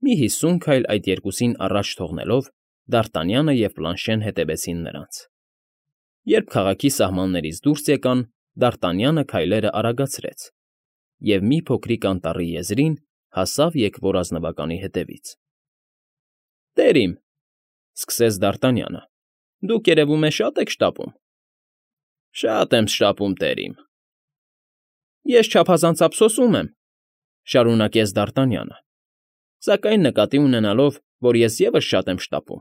Մի 50 քայլ այդ երկուսին առաջ թողնելով Դարտանյանը և Պլանշեն հետևեցին նրանց։ Երբ քաղաքի սահմաններից դուրս եկան, Դարտանյանը քայլերը արագացրեց և մի փոքրիկ անտառի եզրին հասավ եկվոր ազնվականի հետևից։ ֊ Տեր իմ,֊ սկսեց Դարտանյանը,֊ դուք, երևում է, շատ եք շտապում։ ֊ Շատ եմ շտապում, տեր իմ։ ֊ Ես չափազանց ափսոսում եմ,֊ շարունակեց Դարտանյանը,֊ սակայն նկատի ունենալով, որ ես ևս շատ եմ շտապում,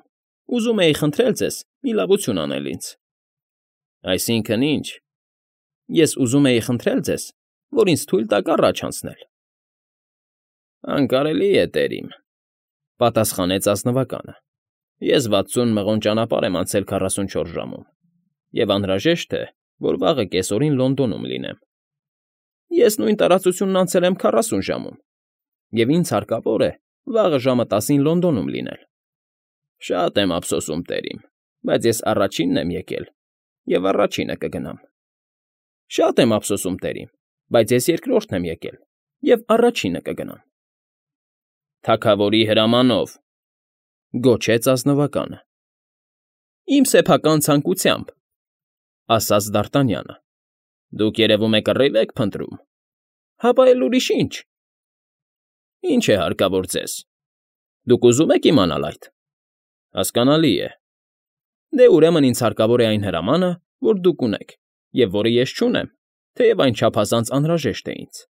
ուզում էի խնդրել ձեզ մի լավություն անել ինձ։ ֊ Այսինքն ի՞նչ։ ֊ Ես ուզում էի խնդրել ձեզ, որ ինձ թույլ տաք առաջ անցնել։ ֊ Անկարելի է, տեր իմ,֊ պատասխանեց ազնվականը,֊ ես 60 մղոն ճանապարհ եմ անցել 44 ժամում և անհրաժեշտ է, որ վաղը կեսօրին Լոնդոնում լինեմ։ ֊ Ես նույն տարածությունն անցել եմ 40 ժամում, և ինձ հարկավոր է վաղը ժամը 10-ին Լոնդոնում լինել։ ֊ Շատ եմ ափսոսում, տեր իմ, բայց ես առաջինն եմ եկել և առաջինը կգնամ։ ֊ Շատ եմ ափսոսում, տեր իմ, բայց ես երկրորդն եմ եկել և առաջինը կգնամ։ ֊ Թագավորի հրամանով,֊ գոչեց ազնվականը։ ֊ Իմ սեփական ցանկությամբ,֊ ասաց Դարտանյանը։ ֊ Դուք, երևում է, կռիվ եք փնտրում։ ֊ Հապա էլ ուրիշ ի՞նչ։ ֊ Ի՞նչ է հարկավոր ձեզ։ Դուք ուզում եք իմանալ այդ։ ֊ Հասկանալի է։ ֊ Դե, ուրեմն ինձ հարկավոր է այն հրամանը, որ դուք ունեք և որը ես չունեմ, թեև այն չափազանց անհրաժեշտ է ինձ։ ֊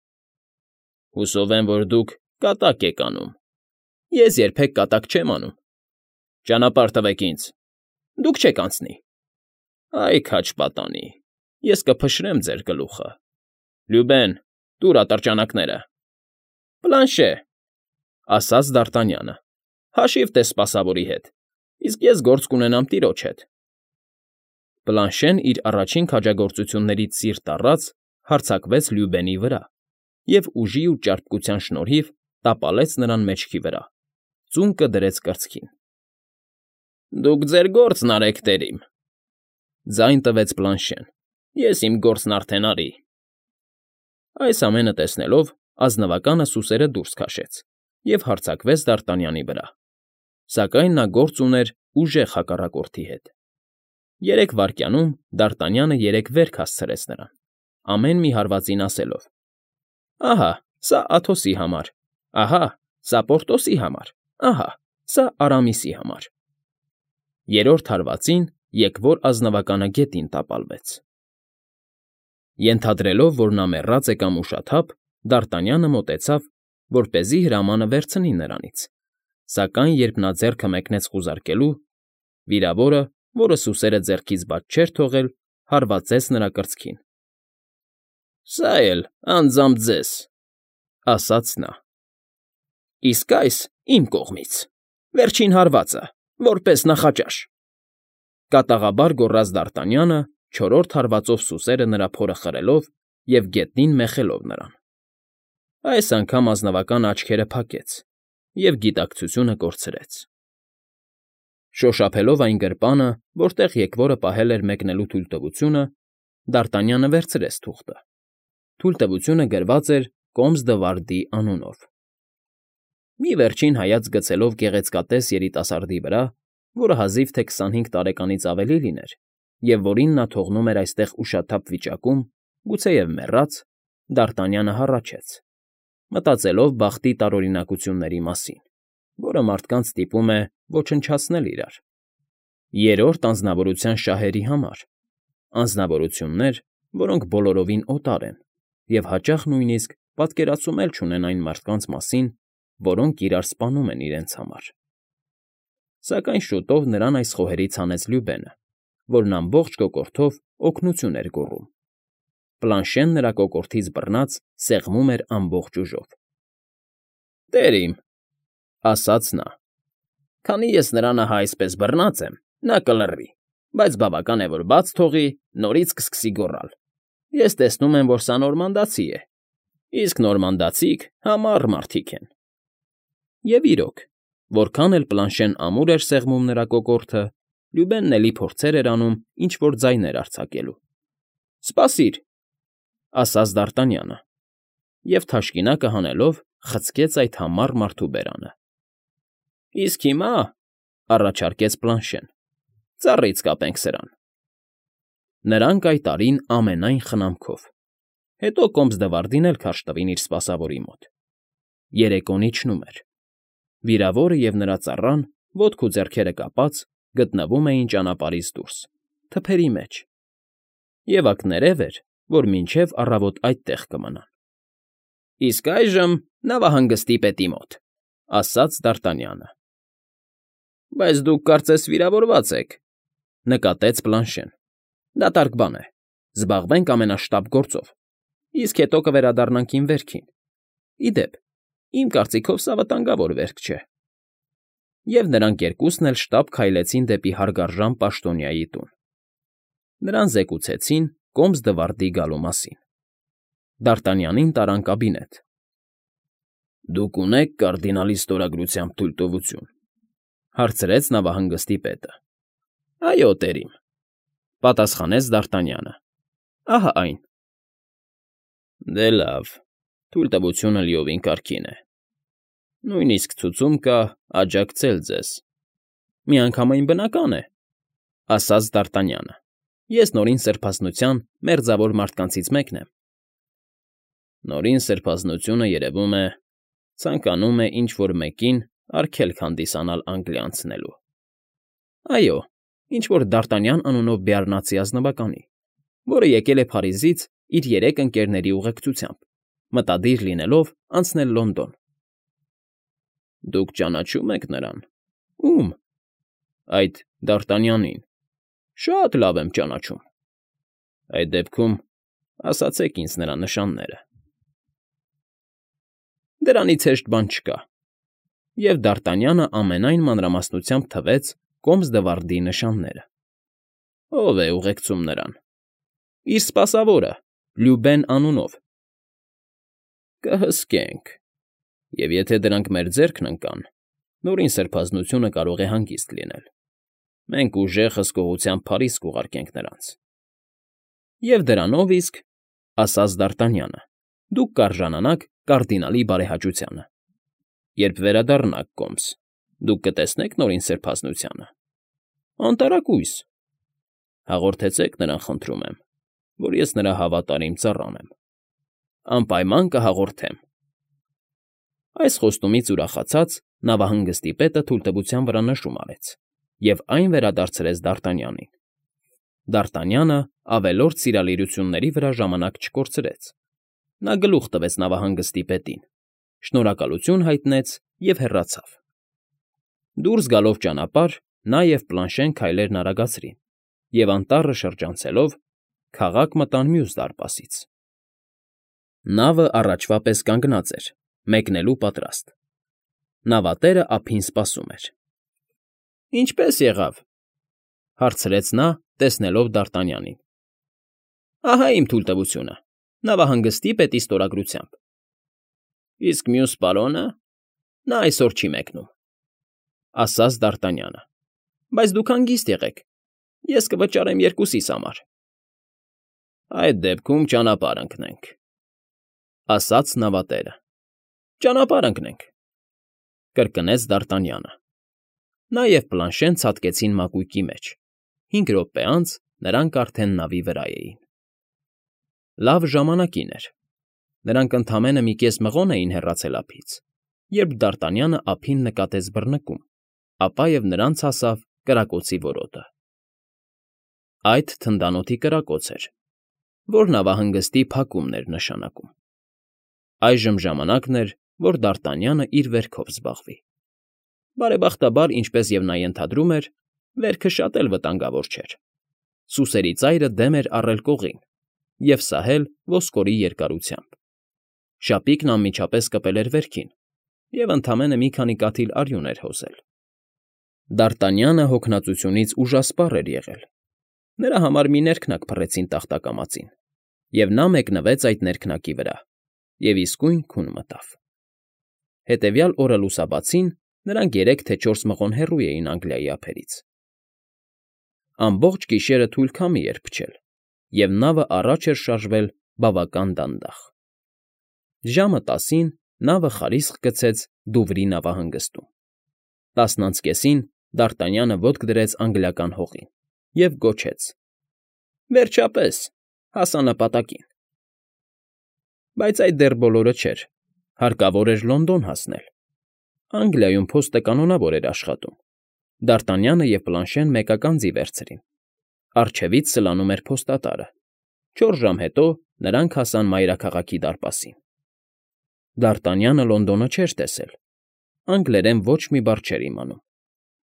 Հուսով եմ, որ դուք կատակ եք անում։ ֊ Ես երբեք կատակ չեմ անում։ ֊ Ճանապարհ տվեք ինձ։ ֊ Դուք չեք անցնի։ ֊ Այ քաջ պատանի, ես կփշրեմ ձեր գլուխը։ Լյուբեն, տուր ատրճանակները։ ֊ Պլանշե,֊ ասաց Դարտանյանը,֊ հաշիվ տես սպասավորի հետ, իսկ ես գործ կունենամ տիրոջ հետ։ Պլանշեն իր առաջին քաջագործություններից սիրտ առած հարձակվեց Լյուբենի վրա և ուժի ու ճարպկության շնորհիվ տապալեց նրան մեջքի վրա, ծունկը դրեց կրծքին։ ֊ Դուք ձեր գործն արեք, տեր իմ,֊ ձայն տվեց Պլանշեն,֊ ես իմ գործն արդեն արի։ Այս ամենը տեսնելով ազնվականը սուսերը դուրս քաշեց և հարձակվեց Դարտանյանի վրա, սակայն նա գործ ուներ ուժեղ հակառակորդի հետ։ 3 վայրկյանում Դարտանյանը 3 վերք հասցրեց նրան, ամեն մի հարվածին ասելով. «Ահա, սա Աթոսի համար, ահա, սա Պորտոսի համար, ահա, սա Արամիսի համար»։ 3-րդ հարվածին եկվոր ազնվականը գետին տապալվեց։ Ենթադրելով, որ նա մեռած է կամ ուշաթափ, Դարտանյանը մոտեցավ, որպեսզի հրամանը վերցնի նրանից, սակայն երբ նա ձեռքը մեկնեց խուզարկելու, վիրավորը, որը սուսերը ձեռքից բաց չէր թողել, հարվածեց նրա կրծքին։ ֊ Սա էլ անձամբ ձեզ,֊ ասաց նա։ ֊ Իսկ այս իմ կողմից, վերջին հարվածը, որպես նախաճաշ,֊ կատաղաբար գոռաց Դարտանյանը, 4-րդ հարվածով սուսերը նրա փորը խրելով և գետնին մեխելով նրան։ Այս անգամ ազնվականը աչքերը փակեց և գիտակցությունը կորցրեց։ Շոշափելով այն գրպանը, որտեղ եկվորը պահել էր մեկնելու թույլտվությունը, Դարտանյանը վերցրեց թուղթը։ Թույլտվությունը գրված էր Կոմս֊դ'Վարդի անունով։ Մի վերջին հայացք գցելով գեղեցկատես երիտասարդի վրա, որը հազիվ թե 25 տարեկանից ավելի լիներ, և որին նա թողնում էր այստեղ ուշաթափ վիճակում, գուցեև մեռած, Դարտանյանը հառաչեց, մտածելով բախտի տարօրինակությունների մասին, որը մարդկանց ստիպում է ոչնչացնել իրար, 3-րդ անձնավորության շահերի համար, անձնավորություններ, որոնք բոլորովին օտար են և հաճախ նույնիսկ պատկերացում էլ չունեն այն մարդկանց մասին, որոնք իրար սպանում են իրենց համար։ Սակայն շուտով նրան այս խոհերից հանեց Լյուբենը, որն ամբողջ կոկորդով օգնություն էր գոռում։ Պլանշեն նրա կոկորդից բռնած սեղմում էր ամբողջ ուժով։ ֊ Տեր իմ,֊ ասաց նա,֊ քանի ես նրան ահա այսպես բռնած եմ, նա կլռի, բայց բավական է, որ բաց թողի, նորից կսկսի գոռալ։ Ես տեսնում եմ, որ սա նորմանդացի է, իսկ նորմանդացիք համառ մարդիկ են։ Եվ իրոք, որքան էլ Պլանշեն ամուր էր սեղմում նրա կոկորդը, Լյուբենն էլի փորձեր էր անում ինչ֊որ ձայներ արձակելու։ ֊ Սպասիր,֊ ասաց Դարտանյանը և, թաշկինակը հանելով, խցկեց այդ համառ մարդու բերանը։ Իսկ հիմա, առաջարկեց Պլանշեն, ծառից կապենք սրան։ Նրանք այդ արին ամենայն խնամքով, հետո Կոմս֊Դվարդին էլ քարշ տվին իր սպասավորի մոտ։ Երեկոն իջնում էր։ Վիրավորը և նրա ծառան, ոտք ու ձեռքերը կապած, գտնվում էին ճանապարհից դուրս, թփերի մեջ, և ակներև էր, որ մինչև առավոտ այդտեղ կմնան։ ֊ Իսկ այժմ նավահանգստի պետի մոտ, ֊ ասաց Դարտանյանը։ ֊ Բայց դուք կարծես վիրավորված եք, ֊ նկատեց Պլանշեն։ ֊ Դատարկ բան է, զբաղվենք ամենաշտապ գործով, իսկ հետո կվերադառնանք իմ վերքին։ Ի դեպ, իմ կարծիքով սա վտանգավոր վերք չէ։ Եվ նրանք երկուսն էլ շտապ քայլեցին դեպի հարգարժան պաշտոնյայի տուն։ Նրան զեկուցեցին Կոմս֊Դվարդի գալու մասին։ Դարտանյանին տարան կաբինետ։ ֊ Դուք ունեք կարդինալի ստորագրությամբ թույլտվություն, ֊ հարցրեց նավահանգստի պետը։ ֊ Այո, տերիմ, ֊ պատասխանեց Դարտանյանը։ ֊ Ահա այն։ ֊ Դե լավ, թույլտվությունը լիովին կարգին է։ Նույնիսկ ցուցում կա աջակցել ձեզ։ Միանգամայն բնական է, ֊ ասաց Դարտանյանը։ Ես Նորին Սրբազնության մերձավոր մարդկանցից մեկն եմ։ Նորին Սրբազնությունը, երևում է, ցանկանում է ինչ֊որ մեկին արգելք հանդիսանալ Անգլիա անցնելու։ Այո, ինչ֊որ Դարտանյան անունով բեառնացի ազնվականի, որը եկել է Փարիզից իր 3 ընկերների ուղեկցությամբ, մտադիր լինելով անցնել Լոնդոն։ Դուք ճանաչում եք նրան։ Ո՞ւմ։ Այդ Դարտանյանին։ Շատ լավ եմ ճանաչում։ Այդ դեպքում ասացեք ինձ նրա նշանները։ Դրանից հեշտ բան չկա։ Եվ Դարտանյանը ամենայն մանրամասնությամբ թվեց Կոմս֊Դվարդի նշանները։ Ո՞վ է ուղեկցում նրան։ Իր սպասավորը, Լյուբեն անունով։ Կհսկենք։ Եվ եթե դրանք մեր ձեռքն ընկան, Նորին Սրբազնությունը կարող է հանգիստ լինել։ Մենք ուժեղ հսկողությամբ Փարիզ կուղարկենք նրանց։ Եվ դրանով իսկ, ֊ ասաց Դարտանյանը, ֊ դուք կարժանանաք կարդինալի բարեհաճությանը։ Երբ վերադառնաք Կոմս, դուք կտեսնեք Նորին Սրբազնությանը։ Անտարակույս։ Հաղորդեցեք նրան, խնդրում եմ, որ ես նրա հավատարիմ ծառան եմ։ Անպայման կհաղորդեմ։ Այս խոստումից ուրախացած նավահանգստի պետը թույլտվության վրա նշում արեց և այն վերադարձրեց Դարտանյանին։ Դարտանյանը ավելորդ սիրալիրությունների վրա ժամանակ չկորցրեց։ Նա գլուխ տվեց նավահանգստի պետին, շնորհակալություն հայտնեց և հեռացավ։ Դուրս գալով ճանապարհ, նա և Պլանշեն քայլերն արագացրին և անտառը շրջանցելով քաղաք մտան մյուս դարպասից։ Նավը առաջվա պես կանգնած էր, մեկնելու պատրաստ։ Նավատերը ափին սպասում էր։ ֊ Ինչպե՞ս եղավ, ֊ հարցրեց նա, տեսնելով Դարտանյանին։ ֊ Ահա իմ թույլտվությունը, նավահանգստի պետի ստորագրությամբ։ ֊ Իսկ մյուս պարոնը։ Նա այսօր չի մեկնում, ֊ ասաց Դարտանյանը։ ֊ Բայց դուք հանգիստ եղեք, ես կվճարեմ երկուսիս համար։ ֊ Այդ դեպքում ճանապարհ ընկնենք, ֊ ասաց նավատերը։ ֊ Ճանապարհ ընկնենք, ֊ կրկնեց Դարտանյանը։ Նա և Պլանշեն ցատկեցին մակույկի մեջ։ 5 րոպե անց նրանք արդեն նավի վրա էին։ Լավ ժամանակին էր։ Նրանք ընդամենը մի կես մղոն էին հեռացել ափից, երբ Դարտանյանը ափին նկատեց բռնկում, ապա և նրանց հասավ կրակոցի որոտը։ Այդ թնդանոթի կրակոց էր, որ նավահանգստի փակումն էր նշանակում։ Այժմ ժամանակն էր, որ Դարտանյանը իր վերքով զբաղվի։ Բարեբախտաբար, ինչպես և նա ենթադրում էր, վերքը շատ էլ վտանգավոր չէր։ Սուսերի ծայրը դեմ էր առել կողին և սահել ոսկորի երկարությամբ։ Շապիկն անմիջապես կպել էր վերքին և ընդամենը մի քանի կաթիլ արյուն էր հոսել։ Դարտանյանը հոգնածությունից ուժասպառ էր եղել։ Նրա համար մի ներքնակ փռեցին տախտակամածին, և նա մեկնվեց այդ ներքնակի վրա և իսկույն քուն մտավ։ Հետևյալ օրը լուսաբացին նրանք 3 թե 4 մղոն հեռու էին Անգլիայի ափերից։ Ամբողջ գիշերը թույլ քամի էր փչել, և նավը առաջ էր շարժվել բավական դանդաղ։ Ժամը 10-ին նավը խարիսկ գցեց Դուվրի նավահանգստում։ 10-ից կեսին Դարտանյանը ոտք դրեց անգլիական հողին և գոչեց. «Վերջապես, հասա նպատակին»։ Բայց այդ դեռ բոլորը չէր. հարկավոր էր Լոնդոն հասնել։ Անգլիայում փոստը կանոնավոր էր աշխատում։ Դարտանյանը և Պլանշեն մեկական ձի վերցրին։ Առջևից սլանում էր փոստատարը։ 4 ժամ հետո նրանք հասան մայրաքաղաքի դարպասին։ Դարտանյանը Լոնդոնը չէր տեսել։ Անգլերեն ոչ մի բառ չէր իմանում,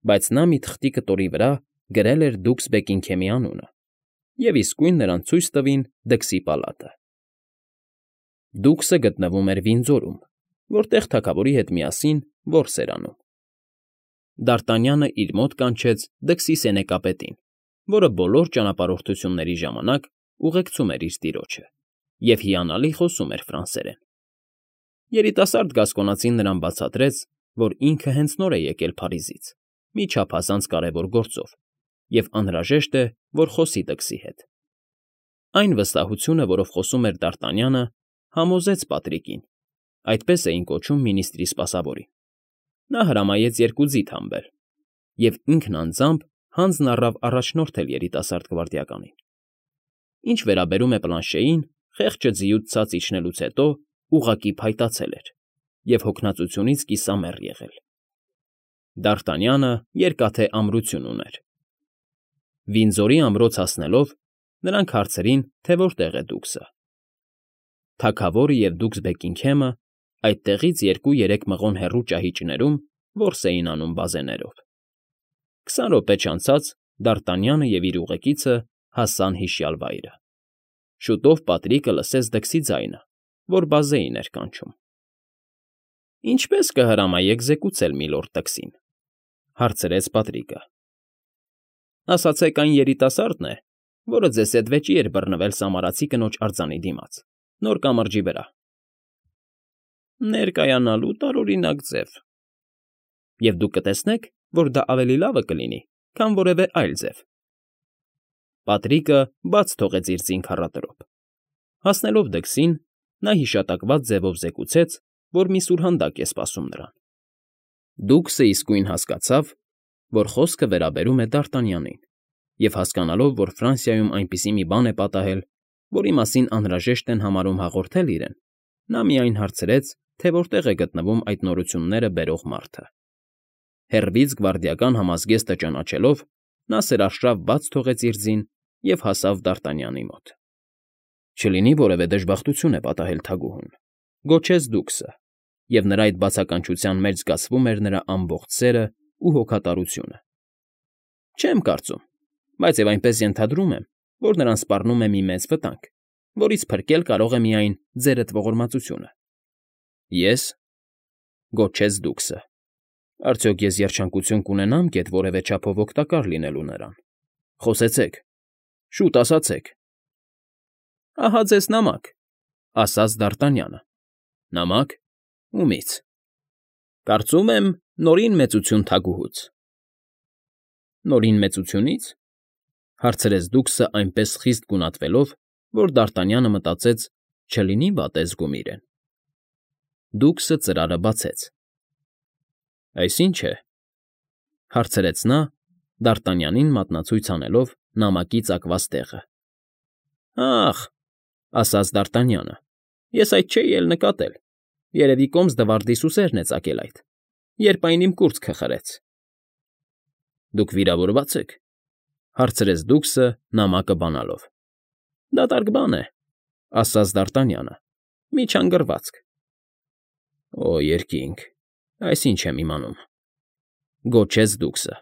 բայց նա մի թղթի կտորի վրա գրել էր դուքս Բեքինգհեմի անունը և իսկույն նրան ցույց տվին դքսի պալատը։ Դուքսը գտնվում էր Վինձորում, որտեղ թագավորի հետ միասին որս էր անում։ Դարտանյանը իր մոտ կանչեց դքսի սենեկապետին, որը բոլոր ճանապարհորդությունների ժամանակ ուղեկցում էր իր տիրոջը և հիանալի խոսում էր ֆրանսերեն։ Երիտասարդ գասկոնացին նրան բացատրեց, որ ինքը հենց նոր է եկել Փարիզից մի չափազանց կարևոր գործով և անհրաժեշտ է, որ խոսի դքսի հետ։ Այն վստահությունը, որով խոսում էր Դարտանյանը, համոզեց Պատրիկին, այդպես էին կոչում մինիստրի սպասավորին։ Նա հրամայեց 2 ձիթ հանվել և ինքն անձամբ հանձն առավ առաջնորդել երիտասարդ գվարդիականին։ Ինչ վերաբերում է Պլանշեին, խեղճը ձիուց ցած իջնելուց հետո ուղղակի փայտացել էր և հոգնածությունից կիսամեռ եղել։ Դարտանյանը երկաթե ամրություն ուներ։ Վինձորի ամրոց հասնելով՝ նրանք հարցրին, թե որտեղ է դուքսը։ Թագավորը և դուքս Բեքինգհեմը այդտեղից 2-3 մղոն հեռու ճահիճներում որս էին անում բազեներով։ 20 րոպե չանցած Դարտանյանը և իր ուղեկիցը հասան հիշյալ վայրը։ Շուտով Պատրիկը լսեց դքսի ձայնը, որ բազեին էր կանչում։ «Ինչպե՞ս կհրամայեք զեկուցել միլորդ տքսին», հարցրեց Պատրիկը։ «Ասացեք, այն երիտասարդն է, որը ձեզ հետ վեճի էր բռնվել Սամարացի կնոջ արձանի դիմաց, նոր կամրջի վրա»։ «Ներկայանալու տարօրինակ ձև։ Եվ դուք կտեսնեք, որ դա ավելի լավը կլինի, քան որևէ այլ ձև»։ Պատրիկը բաց թողեց իր ձին քառատրոփ։ Հասնելով դքսին, նա հիշատակված ձևով զեկուցեց, որ մի սուրհանդակ է սպասում նրան։ Դուքսը իսկույն հասկացավ, որ խոսքը վերաբերում է Դարտանյանին, և հասկանալով, որ Ֆրանսիայում այնպիսի մի բան է պատահել, որի մասին անհրաժեշտ են համարում հաղորդել իրեն, նա միայն հարցրեց, թե որտեղ է գտնվում այդ նորությունները բերող մարդը։ Հեռվից գվարդիական համազգեստը ճանաչելով, նա սրաշռավ բաց թողեց իր ձին և հասավ Դարտանյանի մոտ։ «Չլինի որևէ դժբախտություն է պատահել թագուհուն», գոչեց դուքսը, և նրա այդ բացականչության մեջ զգացվում էր նրա ամբողջ սերն ու հոգատարությունը։ «Չեմ կարծում, բայց և այնպես ենթադրում եմ, որ նրան սպառնում է մի մեծ վտանգ, որից փրկել կարող է միայն ձերդ ողորմածությունը»։ «Ե՞ս», գոչեց դուքսը։ «Արդյոք ես երջանկություն կունենա՞մ գեթ որևէ չափով օգտակար լինելու նրան։ Խոսեցեք, շուտ ասացեք»։ «Ահա ձեզ նամակ», ասաց Դարտանյանը։ «Նամա՞կ։ Ումի՞ց»։ «Կարծում եմ, Նորին Մեծություն թագուհուց»։ «Նորին Մեծությունի՞ց», հարցրեց դուքսը այնպես խիստ գունատվելով, որ Դարտանյանը մտածեց՝ չլինի վատ է զգում իրեն։ Դուքսը ծրարը բացեց։ «Այս ի՞նչ է», հարցրեց նա, Դարտանյանին մատնացույց անելով նամակի ծակված տեղը։ «Ախ», ասաց Դարտանյանը, «ես այդ չէի էլ նկատել. երևի Կոմս֊դվարդի սուսերն է ծակել այդ, երբ այն իմ կուրծքը խրեց»։ «Դուք վիրավորվա՞ծ եք», հարցրեց դուքսը նամակը բանալով։ «Դատարկ բան է», ասաց Դարտանյանը, «միջանգռվածք»։ «Օ, երկինք, այս ինչ եմ իմանում», գոչեց դուքսը։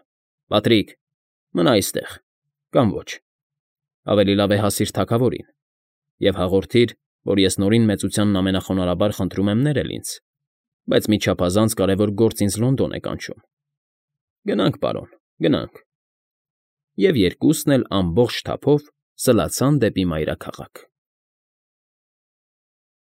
«Պատրիկ, մնա այստեղ, կամ ոչ։ Ավելի լավ է հասիր թագավորին և հաղորդիր, որ ես Նորին Մեծությանն ամենախոնարհաբար խնդրում եմ ներել ինձ, բայց մի չափազանց կարևոր գործ ինձ Լոնդոն է կանչում։ Գնանք, պարոն, գնանք»։ Եվ երկուսն էլ ամբողջ թափով սլացան դեպի մայրաքաղաք։